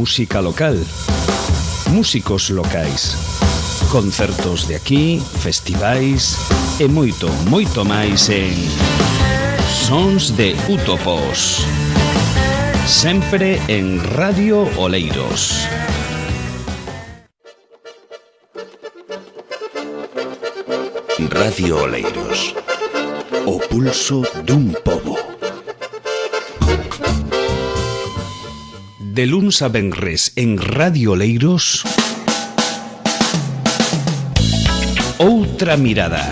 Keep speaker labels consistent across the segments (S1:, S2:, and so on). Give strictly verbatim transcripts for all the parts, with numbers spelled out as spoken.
S1: música local, músicos locais, concertos de aquí, festivais e moito, moito máis en Sons de Útopos, sempre en Radio Oleiros. Radio Oleiros, o pulso dun pobo. De luns a venres en Radio Oleiros, Outra Mirada.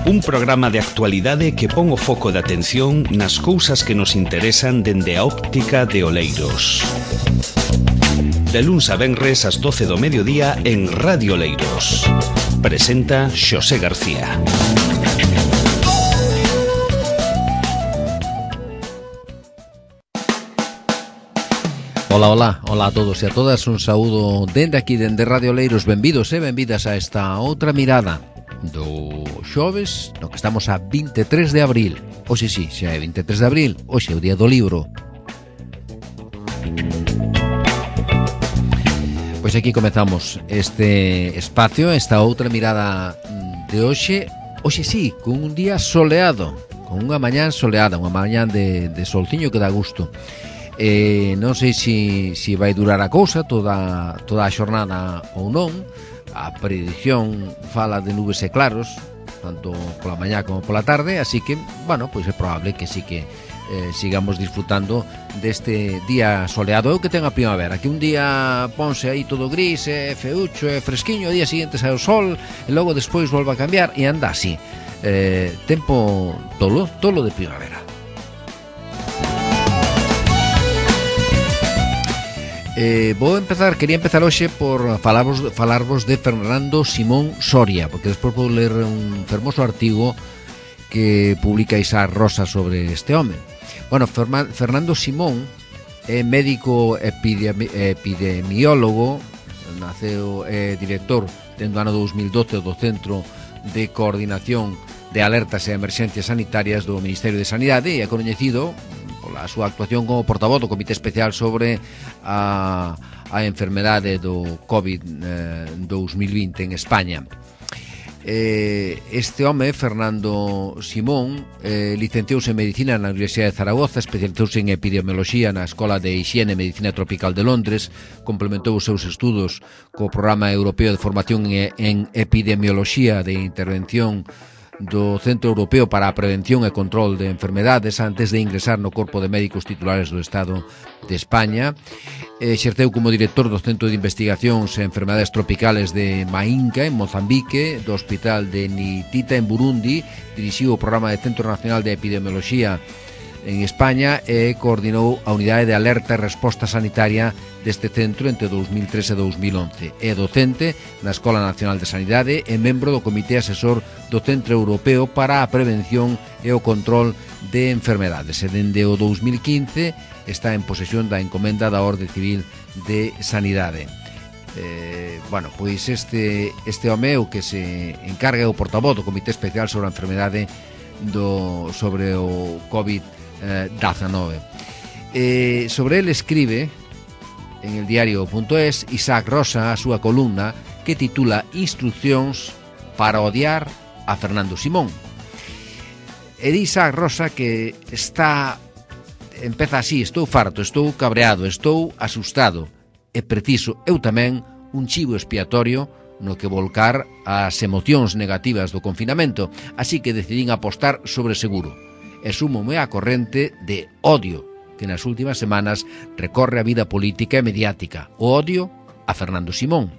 S1: Un programa de actualidade que pon o foco de atención nas cousas que nos interesan dende a óptica de Oleiros. De luns a venres ás doce do mediodía en Radio Oleiros. Presenta Xosé García.
S2: Ola, ola, ola a todos e a todas. Un saúdo dende aquí, dende Radio Oleiros. Benvidos e benvidas a esta Outra Mirada do xoves, no que estamos a vinte e tres de abril. Oxe, sí, xa é vinte e tres de abril. Oxe, o día do libro. Pois aquí comezamos este espacio, esta Outra Mirada de hoxe. Oxe, sí, con un día soleado, con unha mañá soleada, unha mañá de, de solciño que dá gusto. Eh, non sei se si, si vai durar a cousa toda, toda a xornada ou non. A predición fala de nubes e claros, tanto pola mañá como pola tarde, así que, bueno, pois é probable que sí que eh, sigamos disfrutando deste día soleado. Eu que ten a primavera, que un día ponse aí todo gris, e feucho e fresquiño, o día seguinte sai o sol e logo despois volve a cambiar e anda así. Eh, tempo tolo, tolo de primavera. Eh, vou empezar, quería empezar hoxe por falarvos, falarvos de Fernando Simón Soria, porque despois vou ler un fermoso artigo que publica Isaac Rosa sobre este home. Bueno, Ferma, Fernando Simón é médico epidemi, epidemiólogo, naceu é director dentro do ano dos mil doce do Centro de Coordinación de Alertas e Emerxencias Sanitarias do Ministerio de Sanidade e é coñecido pola súa actuación como portavoz do Comité Especial sobre a, a enfermedade do COVID dos mil vinte en España. Eh, este home, Fernando Simón, eh, licenciouse en Medicina na Universidade de Zaragoza, especializouse en Epidemioloxía na Escola de Hixiene e Medicina Tropical de Londres, complementou os seus estudos co Programa Europeo de Formación en Epidemioloxía de Intervención do Centro Europeo para a Prevención e Control de Enfermedades antes de ingresar no Corpo de Médicos Titulares do Estado de España. Exerceu como director do Centro de Investigacións e Enfermedades Tropicales de Mainca, en Mozambique, do Hospital de Nitita, en Burundi. Dirixiu o Programa de Centro Nacional de Epidemioloxía en España e coordinou a Unidade de Alerta e Resposta Sanitaria deste centro entre dous mil tres e dous mil once. É docente na Escola Nacional de Sanidade e membro do Comité Asesor do Centro Europeo para a Prevención e o Control de Enfermedades. E dende o dous mil quince está en posesión da encomenda da Orde Civil de Sanidade. Eh, bueno, pois este, este home o que se encarga é o portavoz do Comité Especial sobre a Enfermedade do, sobre o COVID diecinueve. Eh, sobre ele escribe en el diario punto es Isaac Rosa a súa columna que titula Instruccións para odiar a Fernando Simón. E di Isaac Rosa que está empeza así: estou farto, estou cabreado, estou asustado, é preciso eu tamén un chivo expiatorio no que volcar as emocións negativas do confinamento, así que decidín apostar sobre seguro e súmome á corrente de odio que nas últimas semanas recorre a vida política e mediática. O odio a Fernando Simón.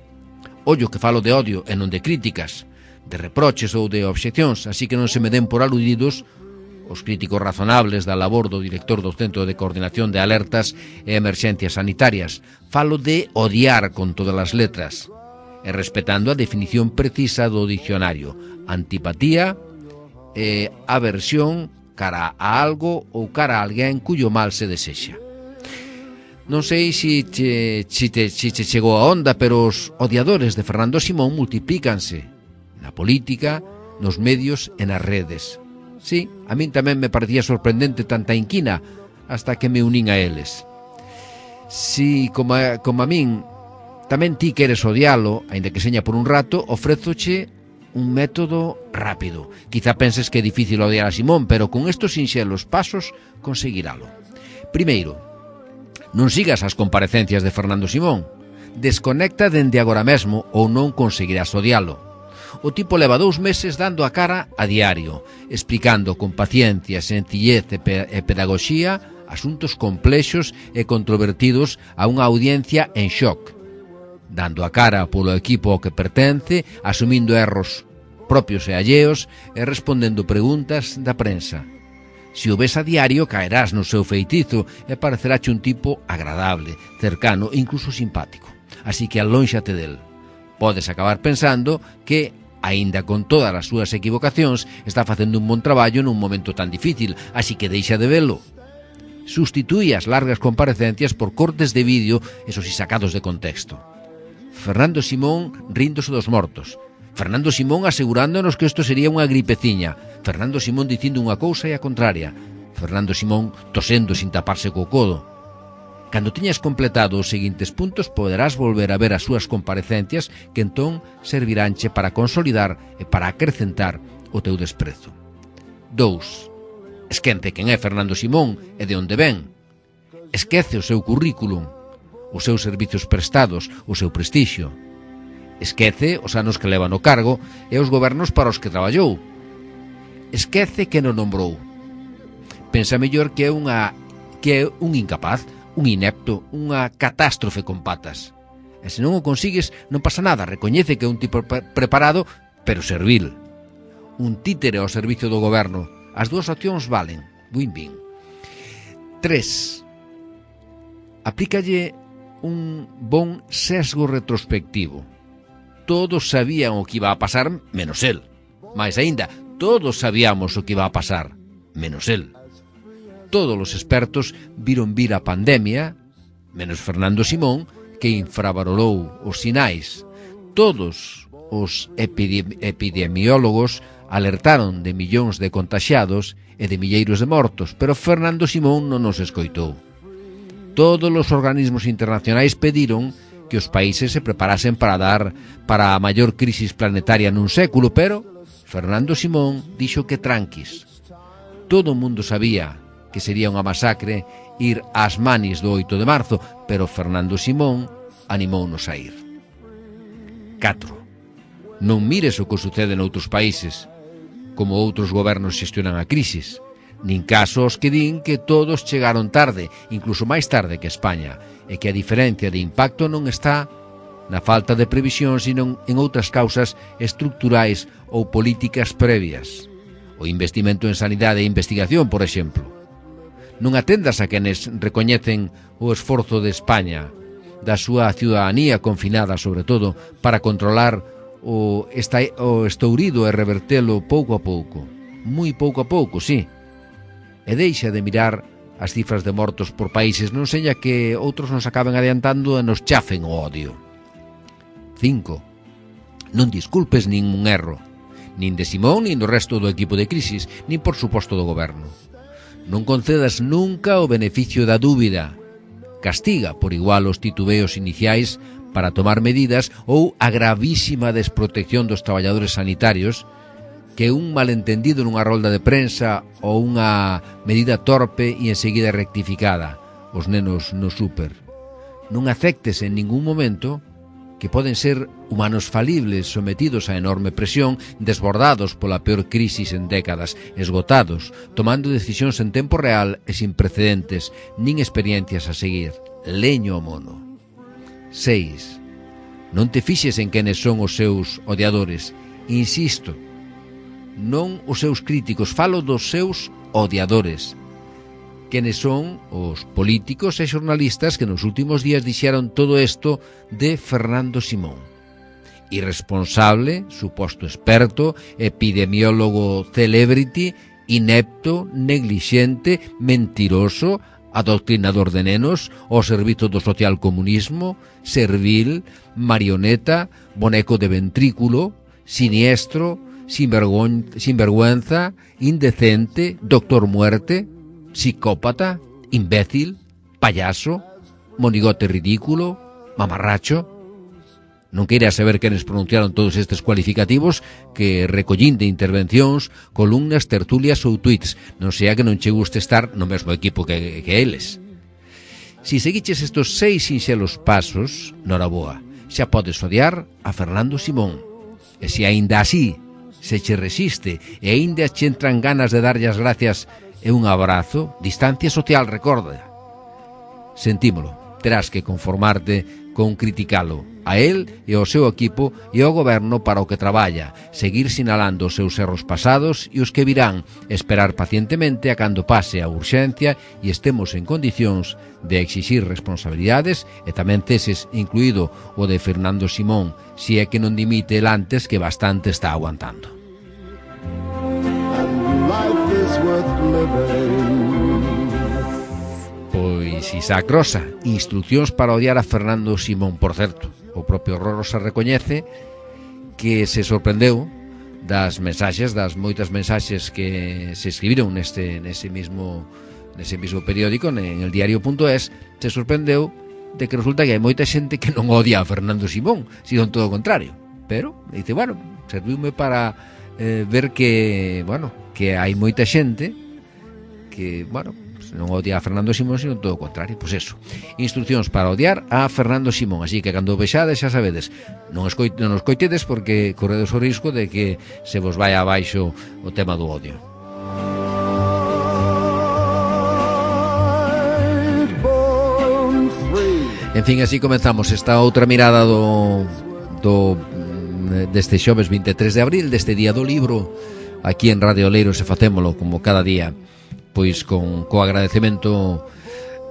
S2: Ollo que falo de odio e non de críticas, de reproches ou de obxeccións, así que non se me den por aludidos os críticos razonables da labor do director do Centro de Coordinación de Alertas e Emerxencias Sanitarias. Falo de odiar con todas as letras e respetando a definición precisa do dicionario: antipatía e aversión cara a algo ou cara a alguén cuyo mal se desexa. Non sei se che, se te, se te chegou a onda, pero os odiadores de Fernando Simón multiplícanse na política, nos medios e nas redes. Sí, a min tamén me parecía sorprendente tanta inquina hasta que me unín a eles. Si, como a, como a min, tamén ti queres odialo, aínda que seña por un rato, ofrézoche un método rápido. Quizá penses que é difícil odiar a Simón, pero con estos sinxelos pasos conseguiralo. Primeiro, non sigas as comparecencias de Fernando Simón. Desconecta dende agora mesmo ou non conseguirás odialo. O tipo leva dous meses dando a cara a diario, explicando con paciencia, sencillez e, pe e pedagogía asuntos complexos e controvertidos a unha audiencia en shock, dando a cara polo equipo ao que pertence, asumindo erros propios e alleos e respondendo preguntas da prensa. Se o ves a diario, caerás no seu feitizo e parecerache un tipo agradable, cercano e incluso simpático. Así que alónxate del. Podes acabar pensando que, aínda con todas as súas equivocacións, está facendo un bon traballo nun momento tan difícil, así que deixa de velo. Sustitúe as largas comparecencias por cortes de vídeo, esos si sacados de contexto. Fernando Simón ríndose dos mortos. Fernando Simón asegurándonos que isto sería unha gripeciña. Fernando Simón dicindo unha cousa e a contraria. Fernando Simón tosendo sin taparse co codo. Cando tiñas completado os seguintes puntos, poderás volver a ver as súas comparecencias que entón serviránche para consolidar e para acrecentar o teu desprezo. Dous. Esquece quen é Fernando Simón e de onde ven. Esquece o seu currículum, os seus servizos prestados, o seu prestixio. Esquece os anos que leva no cargo e os gobernos para os que traballou. Esquece que non nombrou. Pensa mellor que é unha que é un incapaz, un inepto, unha catástrofe con patas. E se non o consigues, non pasa nada, recoñece que é un tipo pre preparado, pero servil. Un títere ao servicio do goberno. As dúas opcións valen. Win-win. Tres. Aplícalle un bon sesgo retrospectivo. Todos sabían o que iba a pasar, menos él. Mais aínda, todos sabíamos o que iba a pasar, menos él. Todos os expertos viron vir a pandemia, menos Fernando Simón, que infravalorou os sinais. Todos os epidemi epidemiólogos alertaron de millóns de contaxiados e de milleiros de mortos, pero Fernando Simón non nos escoitou. Todos os organismos internacionais pediron que os países se preparasen para dar para a maior crisis planetaria nun século, pero Fernando Simón dixo que tranquis. Todo o mundo sabía que sería unha masacre ir ás manis do oito de marzo, pero Fernando Simón animounos a ir. Catro. Non mires o que sucede noutros países, como outros gobernos xestionan a crisis, nin caso os que din que todos chegaron tarde, incluso máis tarde que España, e que a diferencia de impacto non está na falta de previsión, sino en outras causas estructurais ou políticas previas. O investimento en sanidade e investigación, por exemplo. Non atendas a quenes recoñecen o esforzo de España, da súa ciudadanía confinada, sobre todo, para controlar o, esta, o estourido e revertelo pouco a pouco. Moi pouco a pouco, sí. E deixa de mirar as cifras de mortos por países, non seña que outros nos acaben adiantando e nos chafen o odio. Cinco. Non disculpes nin un erro, nin de Simón, nin do resto do equipo de crisis, nin por suposto do goberno. Non concedas nunca o beneficio da dúbida. Castiga por igual os titubeos iniciais para tomar medidas ou a gravísima desprotección dos traballadores sanitarios que un malentendido nunha rolda de prensa ou unha medida torpe e enseguida rectificada, os nenos no súper. Non aceptes en ningún momento que poden ser humanos falibles sometidos a enorme presión, desbordados pola peor crisis en décadas, esgotados, tomando decisións en tempo real e sin precedentes, nin experiencias a seguir. Leño ao mono. Seis. Non te fixes en quenes son os seus odiadores. Insisto, non os seus críticos, falo dos seus odiadores. Quenes son os políticos e xornalistas que nos últimos días dixeron todo isto de Fernando Simón. Irresponsable, suposto experto, epidemiólogo celebrity, inepto, neglixente, mentiroso, adoctrinador de nenos, ao servizo do socialcomunismo, servil, marioneta, boneco de ventrículo, siniestro, sinvergüenza, indecente, doctor muerte, psicópata, imbécil, payaso, monigote ridículo, mamarracho. Non queira saber quenes pronunciaron todos estes cualificativos que recollín de intervencións, columnas, tertulias ou tweets, non sea que non che guste estar no mesmo equipo que, que eles. Si seguiches estos seis sinxelos pasos, noraboa, xa podes odiar a Fernando Simón. E se aínda así se che resiste e aínda che entran ganas de darlle as gracias e un abrazo, distancia social, recorda. Sentímolo, terás que conformarte con criticalo a él e ao seu equipo e ao goberno para o que traballa, seguir sinalando os seus erros pasados e os que virán, esperar pacientemente a cando pase a urxencia e estemos en condicións de exixir responsabilidades e tamén ceses, incluído o de Fernando Simón, si é que non dimite el antes, que bastante está aguantando. Pois Isaac Rosa, instruccións para odiar a Fernando Simón. Por certo, o propio Rosa recoñece que se sorprendeu das mensaxes, das moitas mensaxes que se escribiron neste, nese mismo nese mismo periódico, en el diario.es, se sorprendeu de que resulta que hai moita xente que non odia a Fernando Simón, sino todo o contrario. Pero, dice, bueno, serviume para eh, ver que, bueno, que hai moita xente que, bueno, non odia a Fernando Simón, sino todo o contrario. Pois eso, instruccións para odiar a Fernando Simón. Así que cando o vexades, xa sabedes, non, escoit, non os coitedes, porque corredes o risco de que se vos vai abaixo o tema do odio. En fin, así comenzamos esta outra mirada do, do deste xoves vinte e tres de abril, deste día do libro, aquí en Radio Oleiros, e facémolo como cada día, pois con co agradecemento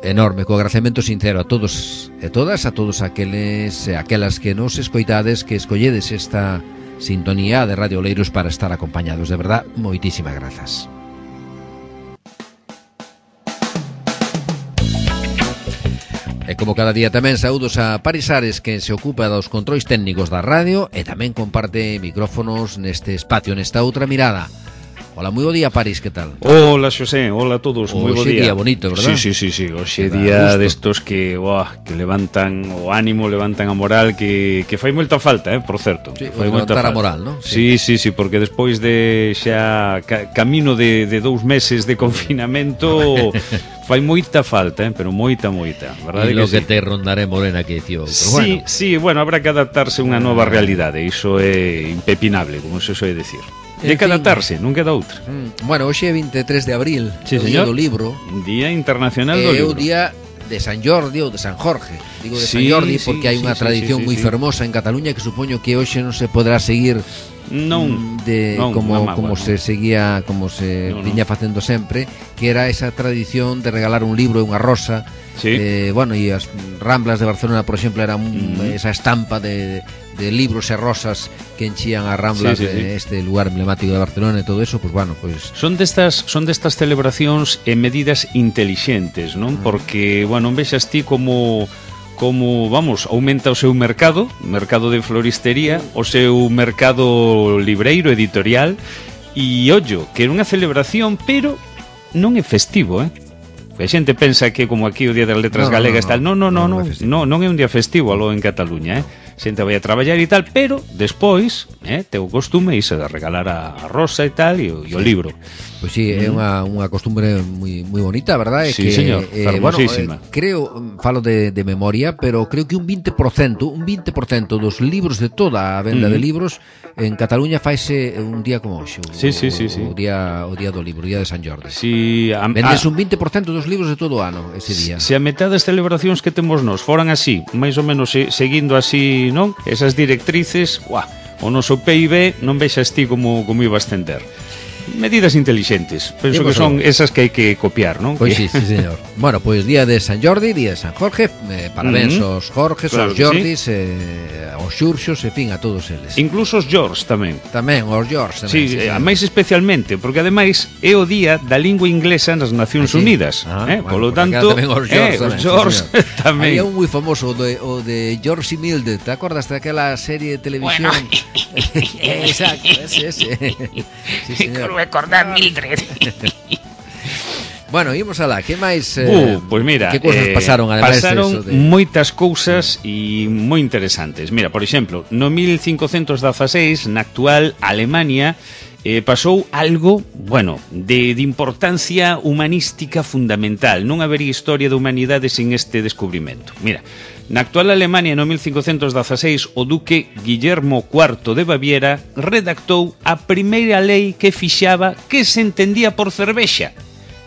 S2: enorme, co agradecemento sincero a todos e todas, a todos aqueles e aquelas que nos escoitades, que escolledes esta sintonía de Radio Oleiros para estar acompañados. De verdad, moitísimas grazas. E como cada día tamén saúdos a Paris Ares, que se ocupa dos controis técnicos da radio e tamén comparte micrófonos neste espacio, nesta outra mirada. Hola, moi bo día, Paris, que tal?
S3: Hola, Xosé, hola a todos, moi bo día.
S2: Hoxe día bonito, verdad?
S3: Sí, sí, sí, sí. Hoxe día destos que, uah, que levantan o ánimo, levantan a moral, que, que fai moita falta, eh, por certo.
S2: Sí,
S3: fai
S2: levantar a moral, non?
S3: Sí, sí, sí, porque despois de xa ca, camino de, de dous meses de confinamento fai moita falta, eh, pero moita, moita, verdade
S2: que,
S3: que
S2: sí?
S3: que
S2: te rondaré morena que dicía outro.
S3: Sí,
S2: bueno.
S3: sí, bueno, habrá que adaptarse a unha nova realidade, iso é impepinable, como se soe decir. E que adaptarse, non queda outra.
S2: Mm, bueno, hoxe é vinte e tres de abril,
S3: sí,
S2: o día do libro.
S3: Día Internacional do
S2: É
S3: Libro.
S2: o día de San Jordi ou de San Jorge. Digo de
S3: sí,
S2: San Jordi
S3: sí,
S2: porque hai
S3: sí,
S2: unha
S3: sí,
S2: tradición
S3: sí, sí,
S2: moi
S3: sí.
S2: fermosa en Cataluña que supoño que hoxe non se podrá seguir
S3: non,
S2: de
S3: non,
S2: como
S3: mamá,
S2: como
S3: bueno.
S2: se seguía, como se
S3: no,
S2: viña
S3: no.
S2: facendo sempre, que era esa tradición de regalar un libro e unha rosa.
S3: Sí.
S2: Eh, bueno, e as Ramblas de Barcelona, por exemplo, era un,
S3: Mm.
S2: esa estampa de, de libros e rosas que enchían as Ramblas,
S3: Sí, sí, sí.
S2: de este lugar emblemático de Barcelona e todo eso, pues bueno, pues
S3: Son destas son destas celebracións e medidas intelixentes, non? Porque, bueno, vexas ti como como, vamos, aumenta o seu mercado, mercado de floristería, o seu mercado libreiro, editorial, e ollo, que era unha celebración, pero non é festivo, eh? A xente pensa que como aquí o Día das Letras
S2: no,
S3: Galegas
S2: no,
S3: tal, non, non, non,
S2: no,
S3: non,
S2: no,
S3: non, non é un día festivo aló en Cataluña, eh? Xente vai a traballar e tal, pero despois, eh, te o costume iso de regalar a, a rosa e tal e o, e o libro.
S2: Pois pues sí, é unha, unha costumbre moi moi bonita, verdade?
S3: Sí,
S2: que,
S3: señor,
S2: eh,
S3: fermosísima.
S2: Bueno, eh, creo, falo de, de memoria, pero creo que un vinte por cento, un vinte por cento dos libros de toda a venda
S3: Mm.
S2: de libros en Cataluña faise un día como hoxe. O,
S3: Sí, sí, sí, sí.
S2: O día, o día do libro, o día de San Jordi.
S3: Si a,
S2: Vendes
S3: a,
S2: un vinte por cento dos libros de todo o ano ese día.
S3: Se a metade das celebracións que temos nós foran así, máis ou menos se, seguindo así, non? Esas directrices, uah, o noso P I B non vexas ti como, como iba a ascender. Medidas intelixentes, penso
S2: Imos
S3: que son
S2: a...
S3: esas que hai que copiar, non?
S2: Pois sí, sí, señor. Bueno, pois día de San Jordi, día de San Jorge, eh, parabéns
S3: Mm-hmm.
S2: aos Jorges,
S3: Claro
S2: aos
S3: que
S2: Jordis, sí. eh, aos Xurxos, en fin, a todos eles.
S3: Incluso os George tamén.
S2: Tamén, aos George tamén.
S3: Sí,
S2: sí,
S3: a
S2: sí.
S3: máis especialmente, porque ademais é o día da lingua inglesa nas Nacións
S2: Ah, sí?
S3: Unidas,
S2: Ah,
S3: eh?
S2: bueno,
S3: Polo
S2: por acá
S3: tanto,
S2: tamén os
S3: eh,
S2: George
S3: os
S2: tamén,
S3: George
S2: sí,
S3: tamén.
S2: Había un moi famoso, o de, o de George y Mildred, ¿te acordas de aquela serie de televisión?
S4: Bueno.
S2: Exacto, ese, ese. Sí, señor.
S4: Recordar Mildred.
S2: Bueno, imos alá, que máis eh,
S3: uh, Pois mira,
S2: que cousas
S3: eh,
S2: pasaron ademais
S3: pasaron
S2: de...
S3: moitas cousas e moi interesantes. Mira, por exemplo, no mil cincocentos dieciséis, na actual Alemania, eh, pasou algo, bueno, de, de importancia humanística fundamental. Non habería historia da humanidade sin este descubrimento. Mira, na actual Alemania, no mil cincocentos dieciséis, o duque Guillermo cuarto de Baviera redactou a primeira lei que fixaba que se entendía por cervexa.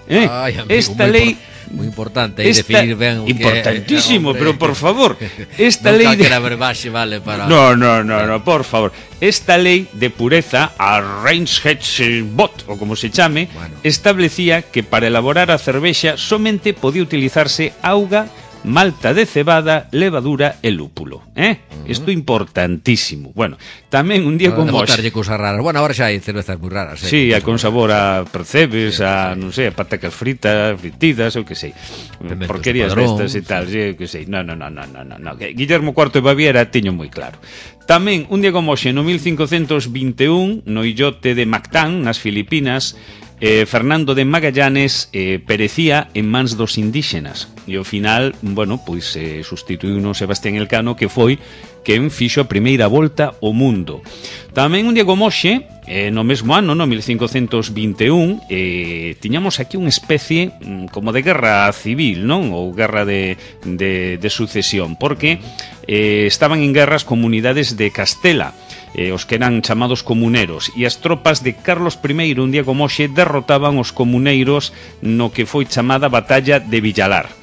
S3: Eh?
S2: Ay, amigo,
S3: esta
S2: moi
S3: lei...
S2: Por... Muy importante aí definir ben o que
S3: importantísimo,
S2: é,
S3: pero por favor, esta
S2: non
S3: lei de...
S2: calquera verbaxe vale para...
S3: No, no, no, no, por favor. Esta lei de pureza, a Reinheitsgebot, ou como se chame,
S2: bueno,
S3: establecía que para elaborar a cervexa somente podía utilizarse auga, malta de cebada, levadura e lúpulo, eh? Uh -huh. Isto importantísimo. Bueno, tamén un día como hoxe...
S2: botarlle cousas raras. Bueno, agora xa hai cervezas moi raras, eh?
S3: Sí, a con sabor a percebes, sí, a, non sei, a patacas fritas, fritidas, ou que sei.
S2: Pementos
S3: Porquerías destas e tal, sí, que sei. No, no, no, no, no, no. Guillermo cuarto de Baviera tiño moi claro. Tamén, un día como hoxe, no mil cincocentos vinte e un, no illote de Mactán, nas Filipinas, Eh, Fernando de Magallanes eh, perecía en mans dos indígenas e ao final, bueno, pois eh, sustituíuno Sebastián Elcano, que foi quen fixo a primeira volta ao mundo. Tamén un día como hoxe, eh, no mesmo ano, no mil cincocentos vinte e un, eh, tiñamos aquí unha especie mm, como de guerra civil, non? Ou guerra de, de, de sucesión, porque eh, estaban en guerra as comunidades de Castela, eh, os que eran chamados comuneros, e as tropas de Carlos primeiro, un día como hoxe, derrotaban os comuneiros no que foi chamada Batalla de Villalar.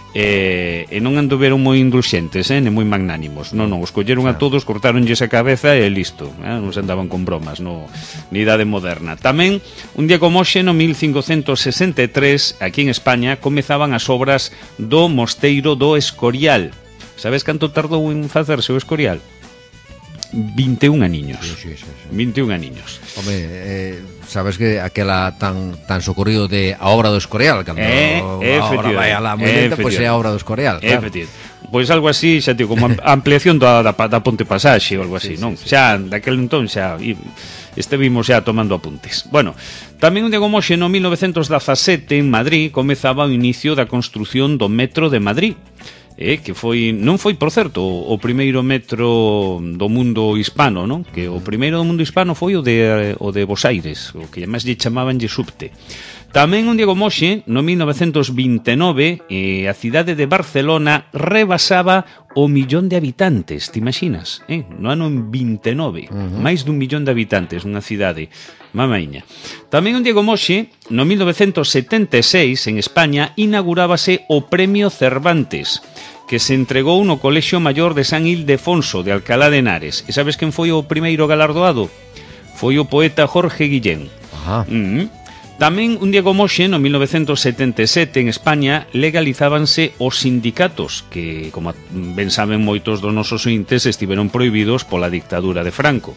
S3: E, e non anduveron moi indulxentes, eh, nem moi magnánimos. Non, non, os colleron a todos, cortaronlles a cabeza e listo, eh, non se andaban con bromas no, ni idade moderna. Tamén, un día como hoxe, no mil cincocentos sesenta e tres, aquí en España, comezaban as obras do Mosteiro do Escorial. Sabes canto tardou en facerse o Escorial? vinte e un aniños.
S2: Sí, sí, sí, sí.
S3: vinte e un aniños.
S2: Home, eh, sabes que aquela tan tan socorrido de a obra do Escorial, cando
S3: eh,
S2: a obra vai a la moi lenta, pois é a obra do Escorial, claro.
S3: Efectivamente. Pois algo así, xa digo, como ampliación da, da, da Ponte Pasaxe ou algo así, sí, non? Sí, sí. Xa, daquel entón, xa estevimos xa tomando apuntes. Bueno, tamén un día como hoxe, no mil novecentos dezasete, en Madrid, comezaba o inicio da construción do metro de Madrid. Eh, que foi, non foi, por certo, o, o primeiro metro do mundo hispano, non? Que o primeiro do mundo hispano foi o de, o de Bos Aires, o que además lle chamabanlle subte. Tamén un día como hoxe, no mil novecentos vinte e nove, eh, a cidade de Barcelona rebasaba o millón de habitantes, te imaginas? Eh? No ano vinte e nove, uh -huh. máis dun millón de habitantes, unha cidade mamaiña. Tamén un día como hoxe, no mil novecentos setenta e seis, en España, inaugurábase o Premio Cervantes, que se entregou no Colexio Maior de San Ildefonso de Alcalá de Henares. E sabes quen foi o primeiro galardoado? Foi o poeta Jorge Guillén.
S2: Ajá.
S3: Mm -hmm. Tamén, un día como hoxe, no mil novecentos setenta e sete, en España, legalizábanse os sindicatos, que, como ben saben moitos dos nosos ointes, estiveron prohibidos pola dictadura de Franco.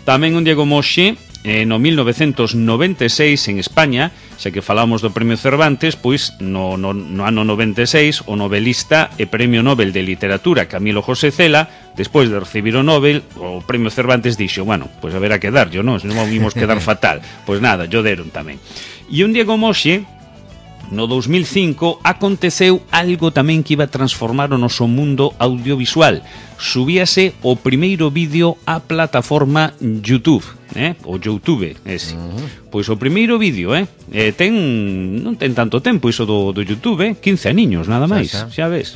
S3: Tamén un día como hoxe, eh, no mil novecentos noventa e seis, en España, xa que falamos do Premio Cervantes, pois no, no, no ano noventa e seis, o novelista e Premio Nobel de Literatura Camilo José Cela, despois de recibir o Nobel, o Premio Cervantes dixo, bueno, pois haberá que darllo, non? Se non vimos quedar fatal. Pois nada, yo deron tamén. E un día como hoxe, no dos mil cinco, aconteceu algo tamén que iba a transformar o noso mundo audiovisual. Subíase o primeiro vídeo á plataforma YouTube, eh? O YouTube, ese. Uh -huh. Pois o primeiro vídeo, eh? eh ten, non ten tanto tempo iso do, do YouTube, eh? quince aniños, nada máis, xa, xa. xa ves.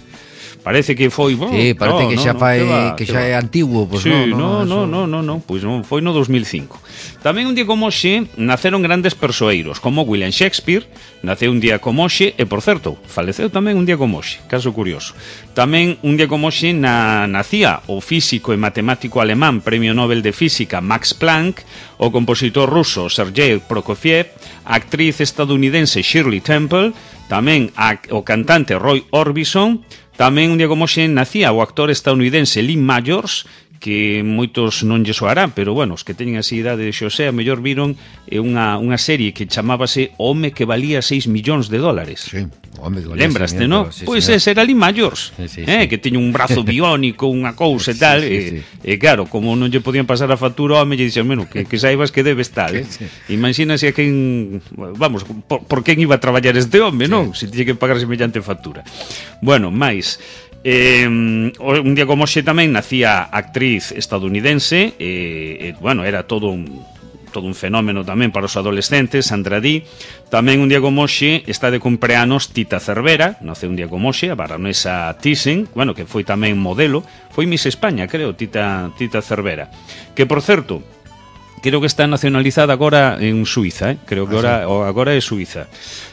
S3: Parece que foi, bueno,
S2: sí, parece no, que xa
S3: no,
S2: fai,
S3: no,
S2: que, que xa é antiguo, pois
S3: sí,
S2: no,
S3: no, no, no, no, no, pois non, foi no dos mil cinco. Tamén un día como hoxe naceron grandes persoeiros, como William Shakespeare, naceu un día como hoxe e, por certo, faleceu tamén un día como hoxe, caso curioso. Tamén un día como hoxe na, nacía o físico e matemático alemán, Premio Nobel de Física Max Planck, o compositor ruso Sergei Prokofiev, a actriz estadounidense Shirley Temple, tamén a, o cantante Roy Orbison. Tamén un día como hoxe nacía o actor estadounidense Lee Majors, que moitos non lle soarán, pero bueno, os que teñen así idade de Xosé, a mellor viron eh, unha, unha serie que chamábase O home que valía seis millóns de dólares.
S2: Sí, o home que valía
S3: Lembraste, non?
S2: Sí,
S3: pois
S2: señor.
S3: ese era ali maiors,
S2: sí, sí,
S3: eh,
S2: sí.
S3: que teña un brazo biónico, unha cousa e tal,
S2: Sí, sí,
S3: e,
S2: sí.
S3: e claro, como non lle podían pasar a factura ao home, lle dixen, bueno, que, que saibas que debes tal, eh?
S2: Sí.
S3: Imagínase a quen, vamos, por, por quen iba a traballar este home, non? Se tiñe que pagar semellante factura. Bueno, máis, Eh, un día como hoxe tamén nacía a actriz estadounidense e, eh, bueno, era todo un todo un fenómeno tamén para os adolescentes, Sandra Dee. Tamén un día como hoxe está de cumpleanos Tita Cervera, nace un día como hoxe, a baronesa Thyssen, bueno, que foi tamén modelo, foi Miss España, creo, Tita, Tita Cervera, que por certo, creo que está nacionalizada agora en Suiza, eh? creo que agora, agora é Suiza.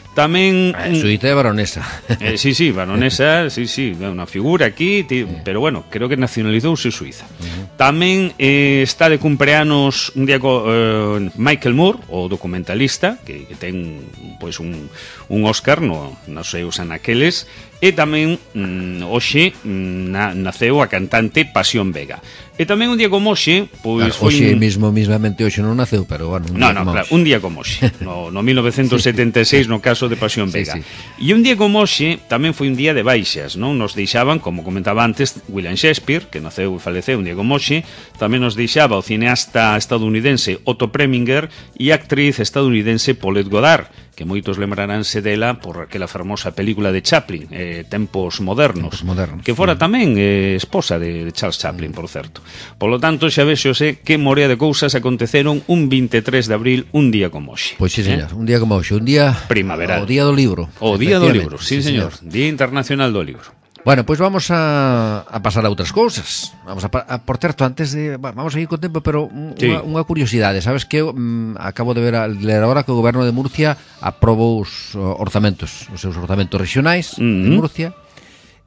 S3: Tamén
S2: eh, Suiza é baronesa.
S3: eh, sí, sí, baronesa, sí, sí, unha figura aquí, tí, sí. Pero bueno, creo que nacionalizouse Suiza. Uh-huh. Tamén eh, está de cumpleanos un día co, eh, Michael Moore, o documentalista, que, que ten pois un, un Óscar no, nos seus anaqueles, e tamén mm, hoxe mm, na, naceu a cantante Pasión Vega. E tamén un día como hoxe, pois
S2: claro,
S3: foi
S2: hoxe
S3: un...
S2: mismo mismamente hoxe non naceu, pero bueno, un
S3: no,
S2: día
S3: no,
S2: como
S3: claro,
S2: hoxe.
S3: un día como hoxe, no, no mil novecentos setenta e seis no caso de Pasión Vega.
S2: Sí, sí.
S3: E un día como hoxe tamén foi un día de baixas, non? Nos deixaban, como comentaba antes, William Shakespeare, que naceu e faleceu un día como hoxe, tamén nos deixaba o cineasta estadounidense Otto Preminger e a actriz estadounidense Paulette Goddard, que moitos lembraránse dela por aquela fermosa película de Chaplin, eh, Tempos Modernos,
S2: Tempos Modernos,
S3: que fora
S2: sí.
S3: tamén eh, esposa de Charles Chaplin, por certo. Por lo tanto, xa vexose que morea de cousas aconteceron un vinte e tres de abril, un día como hoxe.
S2: Pois sí, señor,
S3: eh?
S2: un día como hoxe, un día
S3: primaveral.
S2: O día do libro.
S3: O día do libro, sí,
S2: sí
S3: señor.
S2: señor.
S3: Día Internacional do Libro.
S2: Bueno, pois pues vamos a, a pasar a outras cousas. Vamos a, a por certo, antes de vamos a ir con tempo, pero unha,
S3: sí.
S2: unha curiosidade, sabes que um, acabo de ver a, ler agora que o goberno de Murcia aprobou os orzamentos, os seus orzamentos regionais uh -huh. de Murcia.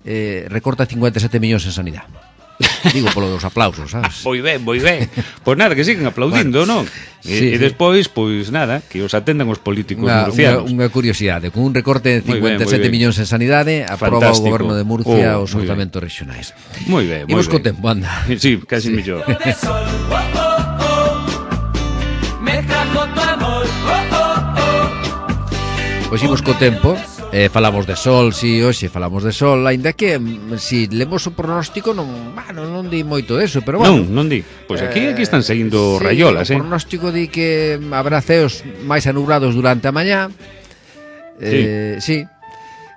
S2: Eh, recorta cincuenta e sete millóns en sanidade. Digo polo dos aplausos, sabes?
S3: Moi ben, moi ben. Pois nada, que siguen aplaudindo,
S2: bueno,
S3: non? E,
S2: sí,
S3: e despois, pois nada, que os atendan os políticos
S2: unha,
S3: murcianos.
S2: Unha, unha curiosidade, con un recorte de cincuenta e sete
S3: ben,
S2: millóns en sanidade, aproba
S3: fantástico.
S2: o goberno de Murcia
S3: oh,
S2: os orzamentos regionais.
S3: Moi ben, moi ben.
S2: Imos co tempo, anda.
S3: Sí, casi sí. mellor.
S2: Pois imos co tempo. Eh, falamos de sol, si, hoxe falamos de sol, aínda que si lemos o pronóstico non, bueno, non di moito deso, pero bueno.
S3: Non, non di. Pois aquí
S2: eh,
S3: aquí están saindo
S2: sí,
S3: rayolas, eh.
S2: O pronóstico di que habrá ceos máis anubrados durante a mañá. Eh, sí. sí.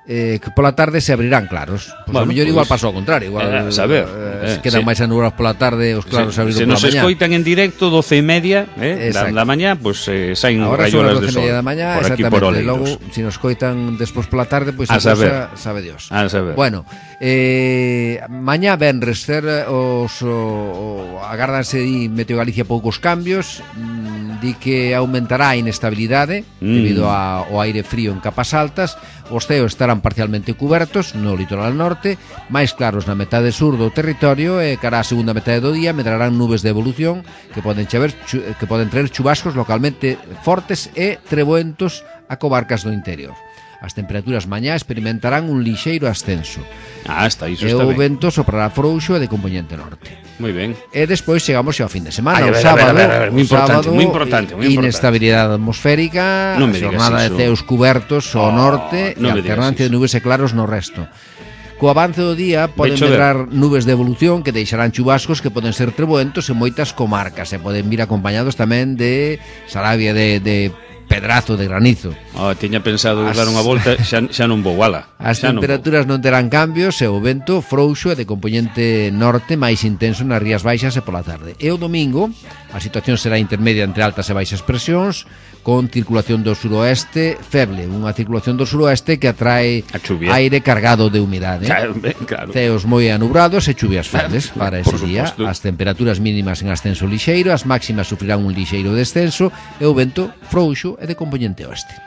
S2: Eh, que pola tarde se abrirán claros. Pois bueno, a mellor pues, igual pasou ao contrario, igual
S3: eh, a saber,
S2: eh,
S3: eh,
S2: quedan
S3: sí.
S2: máis anubrados pola tarde, os claros se, se abriron pola mañá.
S3: Se nos escoitan en directo doce e media, eh, da, da mañá, pois pues, eh, saen
S2: ahora
S3: rayolas de sol.
S2: Ahora son as doce e media da mañá,
S3: por aquí por Oleiros.
S2: Logo, se nos coitan despois pola tarde, pois pues, a, a
S3: saber.
S2: Cosa, sabe Dios.
S3: A saber.
S2: Bueno, eh, mañá venres ser os o, o, agárdanse di Meteo Galicia poucos cambios, mm, di que aumentará a inestabilidade mm. debido a, ao aire frío en capas altas. Os ceos estarán parcialmente cubertos no litoral norte, máis claros na metade sur do territorio e cara a segunda metade do día medrarán nubes de evolución que poden chaver, chu, que poden traer chubascos localmente fortes e treboentos a comarcas do interior. As temperaturas mañá experimentarán un lixeiro ascenso.
S3: Ah, está, iso
S2: e
S3: está
S2: o
S3: ben.
S2: vento soprará frouxo e de componente norte.
S3: Moi ben.
S2: E despois chegamos ao fin de semana.
S3: Ay,
S2: o
S3: ver,
S2: sábado,
S3: a ver, a ver, a ver, moi importante,
S2: sábado,
S3: moi importante, moi importante.
S2: Inestabilidade atmosférica,
S3: Non me digas
S2: xornada de
S3: iso.
S2: ceos cubertos ao
S3: Oh,
S2: norte e
S3: non me digas
S2: alternancia de
S3: iso.
S2: nubes e claros no resto. Co avance do día poden
S3: chover.
S2: medrar nubes de evolución que deixarán chubascos que poden ser treboentos en moitas comarcas e poden vir acompañados tamén de Sarabia de, de pedrazo de granizo.
S3: Oh, tiña pensado
S2: As...
S3: dar unha volta, xa, xa non vou, ala.
S2: As
S3: xa
S2: temperaturas non, non terán cambios e o vento frouxo e de componente norte máis intenso nas rías baixas e pola tarde. E o domingo a situación será intermedia entre altas e baixas presións con circulación do suroeste feble, unha circulación do suroeste que atrae aire cargado de humidade.
S3: Claro, ben, claro.
S2: Ceos moi anubrados e chuvias febles para ese
S3: Por
S2: día.
S3: suposto.
S2: As temperaturas mínimas en ascenso lixeiro, as máximas sufrirán un lixeiro descenso e o vento frouxo e de componente oeste.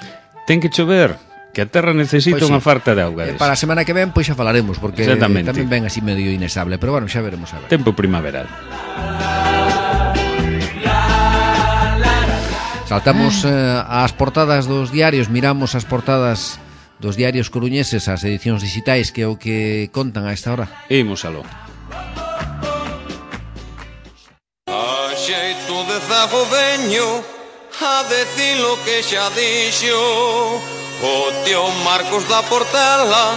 S3: Ten que chover, que a terra necesita
S2: Pois sí.
S3: unha farta de auga.
S2: E para a semana que ven, pois xa falaremos, porque
S3: Exactamente.
S2: tamén ven así medio inestable, pero bueno, xa veremos a ver.
S3: Tempo primaveral.
S2: Saltamos eh, ás portadas dos diarios, miramos as portadas dos diarios coruñeses, as edicións digitais, que é o que contan a esta hora.
S3: Imos aló.
S4: Cartago veño a decir lo que xa dixo o tío Marcos da Portela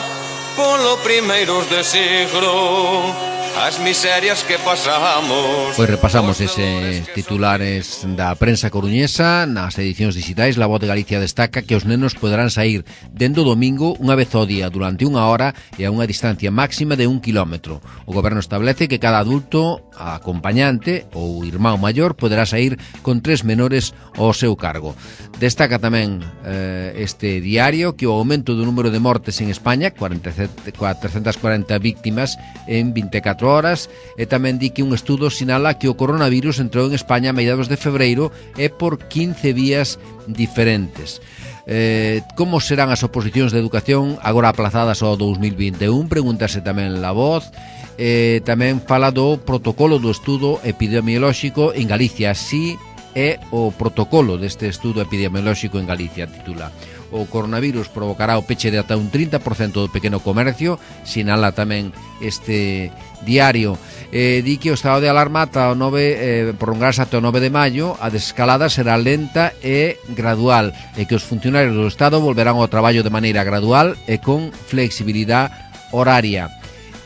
S4: polo primeiros de siglo. As miserias que pasamos.
S2: Pois repasamos eses titulares da prensa coruñesa nas edicións digitais. La Voz de Galicia destaca que os nenos poderán sair dendo domingo unha vez ao día durante unha hora e a unha distancia máxima de un kilómetro. O goberno establece que cada adulto acompañante ou irmán maior poderá sair con tres menores ao seu cargo. Destaca tamén eh, este diario que o aumento do número de mortes en España, cuatrocentas cuarenta víctimas en vinte e catro horas, e tamén di que un estudo sinala que o coronavirus entrou en España a mediados de febreiro e por quince vías diferentes. Eh, como serán as oposicións de educación agora aplazadas ao dous mil vinte e un? Pregúntase tamén La Voz. Eh, tamén fala do protocolo do estudo epidemiolóxico en Galicia. Así é o protocolo deste estudo epidemiolóxico en Galicia, titula. O coronavirus provocará o peche de ata un trinta por cento do pequeno comercio, sinala tamén este diario. Eh, di que o estado de alarma ata o nove, eh, prolongarse ata o nove de maio, a desescalada será lenta e gradual, e que os funcionarios do Estado volverán ao traballo de maneira gradual e con flexibilidade horaria.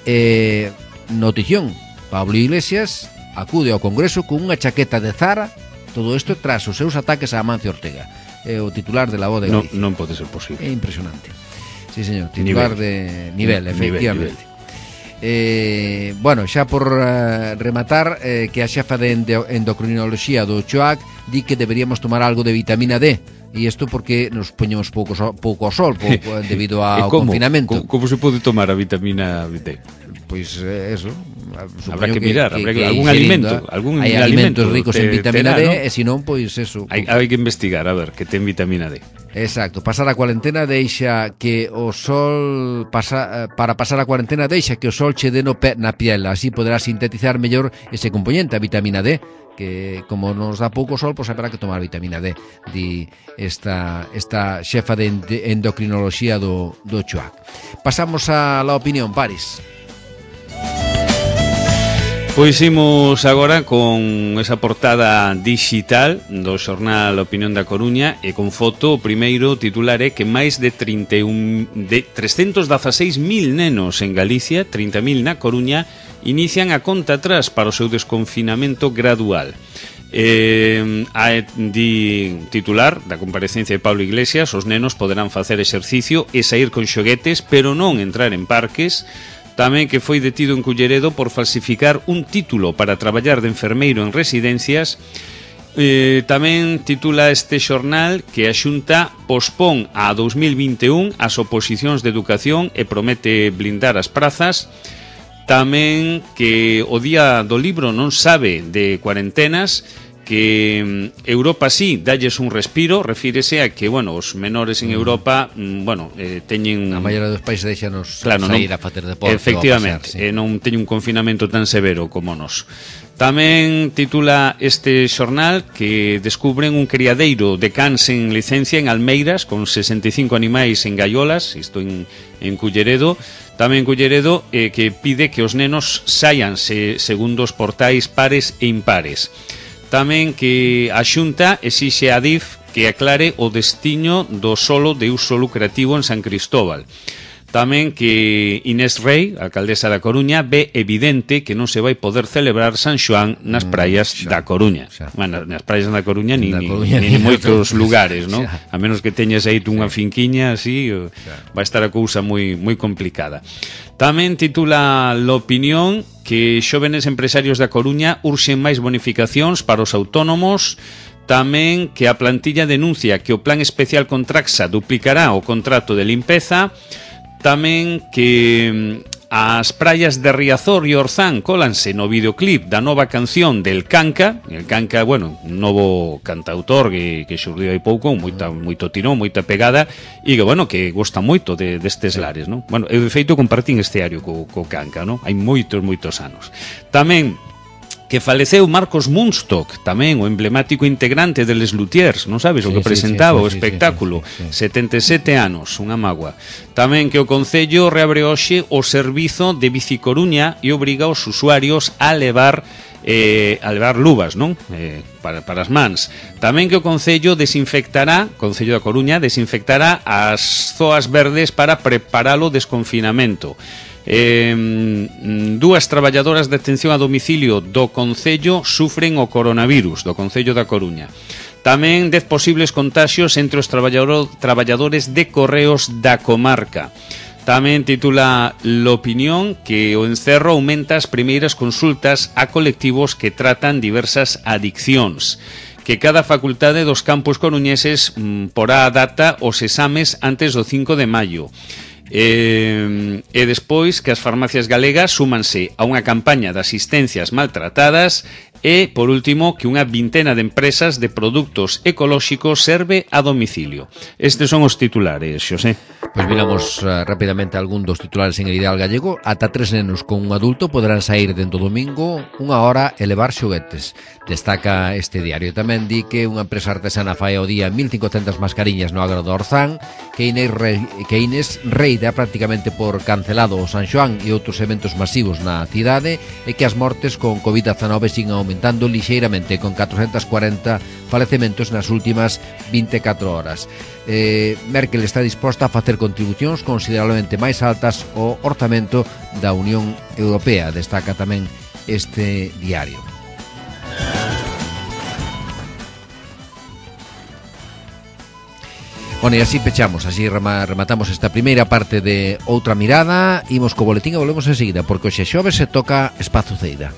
S2: Eh, notición, Pablo Iglesias acude ao Congreso con unha chaqueta de Zara, todo isto tras os seus ataques a Amancio Ortega. É o titular de La Voz de Galicia.
S3: Non, non pode ser posible.
S2: É impresionante. Sí, señor, titular nivel. de nivel, efectivamente. Nivel, nivel. Eh, bueno, xa por uh, rematar, eh, que a xefa de endocrinoloxía do Choac di que deberíamos tomar algo de vitamina D. E isto porque nos poñemos pouco, so, pouco ao sol pouco, debido ao confinamento.
S3: Como, como se pode tomar a vitamina D?
S2: Pois eh, eso.
S3: Habrá que, que mirar, que, habrá que, que algún alimento, algún
S2: hai alimentos ricos te, en vitamina
S3: terá,
S2: D, ¿no? E se non, pois eso.
S3: Hai, hai que investigar, a ver, que ten vitamina D.
S2: Exacto, pasar a cuarentena deixa que o sol pasa, para pasar a cuarentena deixa que o sol che dé no pe, na piel, así poderá sintetizar mellor ese componente, a vitamina D, que como nos dá pouco sol, pois haberá que tomar vitamina D, di esta, esta xefa de endocrinoloxía do, do Choac. Pasamos a la opinión, Paris.
S3: Pois imos agora con esa portada digital do xornal Opinión da Coruña e con foto. O primeiro titular é que máis de, trinta e un, de trescentos dezaseis mil nenos en Galicia, trinta mil na Coruña, inician a conta atrás para o seu desconfinamento gradual. Eh, a di titular da comparecencia de Pablo Iglesias: os nenos poderán facer exercicio e sair con xoguetes, pero non entrar en parques. Tamén que foi detido en Culleredo por falsificar un título para traballar de enfermeiro en residencias. Eh, tamén titula este xornal que a Xunta pospón a dous mil vinte e un as oposicións de educación e promete blindar as prazas. Tamén que o Día do Libro non sabe de cuarentenas, que Europa sí dalles un respiro, refírese a que, bueno, os menores en Europa, bueno, eh, teñen...
S2: A maioría dos países deixanos
S3: claro,
S2: sair
S3: non,
S2: a facer deporte.
S3: Efectivamente,
S2: pasar, sí.
S3: eh, non teñen un confinamento tan severo como nos. Tamén titula este xornal que descubren un criadeiro de cans en licencia en Almeiras con sesenta e cinco animais en gaiolas, isto en, en Culleredo. Tamén Culleredo eh, que pide que os nenos saian se, segundo os portais pares e impares. Tamén que a Xunta exixe a D I F que aclare o destiño do solo de uso lucrativo en San Cristóbal. Tamén que Inés Rei, a alcaldesa da Coruña, ve evidente que non se vai poder celebrar San Xoán nas praias mm, xa, da Coruña. Xa. Bueno, nas praias da Coruña ni, da Coruña, ni, ni, ni moitos lugares, ¿no? A menos que teñas aí unha finquiña así, vai estar a cousa moi moi complicada. Tamén titula l'opinión que xóvenes empresarios da Coruña urxen máis bonificacións para os autónomos. Tamén que a plantilla denuncia que o plan especial con Traxa duplicará o contrato de limpeza. Tamén que as praias de Riazor e Orzán colanse no videoclip da nova canción del Canca. El Canca, bueno, un novo cantautor que, que xurdiu hai pouco, moita, moito tirón, moita pegada, e que, bueno, que gosta moito de, destes lares, non? Bueno, eu de feito compartín este ario co, co Canca, non? Hai moitos, moitos anos. Tamén que faleceu Marcos Munstock, tamén o emblemático integrante de Les Luthiers, non sabes, sí, o que presentaba sí, sí, o espectáculo, sí, sí, sí, sí. setenta e sete anos, unha mágoa. Tamén que o Concello reabre hoxe o servizo de Bicicoruña e obriga aos usuarios a levar eh, a levar luvas, non? Eh, para, para as mans. Tamén que o Concello desinfectará, Concello da Coruña, desinfectará as zoas verdes para preparar o desconfinamento. Eh, dúas traballadoras de atención a domicilio do Concello sufren o coronavirus, do Concello da Coruña. Tamén dez posibles contaxios entre os traballador, traballadores de correos da comarca. Tamén titula L'Opinión que o encerro aumenta as primeiras consultas a colectivos que tratan diversas adiccións. Que cada facultade dos campus coruñeses mm, porá a data os exames antes do cinco de maio. E, e despois que as farmacias galegas súmanse a unha campaña de asistencias maltratadas e, por último, que unha vintena de empresas de produtos ecolóxicos serve a domicilio. Estes son os titulares, Xosé.
S2: Pois miramos uh, rapidamente algún dos titulares en el Ideal Gallego. Ata tres nenos con un adulto poderán sair dentro do domingo unha hora e levar xoguetes. Destaca este diario. Tamén di que unha empresa artesana fai ao día mil cincocentas mascariñas no agro do Orzán, que Inés, Re... que Inés Rei dá prácticamente por cancelado o San Xoán e outros eventos masivos na cidade, e que as mortes con covid dezanove siguen aumentando lixeiramente, con catrocentos cuarenta falecementos nas últimas vinte e catro horas. Eh, Merkel está disposta a facer contribucións considerablemente máis altas ao orzamento da Unión Europea, destaca tamén este diario. Bueno, e así pechamos, así rematamos esta primeira parte de Outra Mirada. Imos co boletín e volvemos enseguida, porque hoxe xoves se toca Espazo Ceida.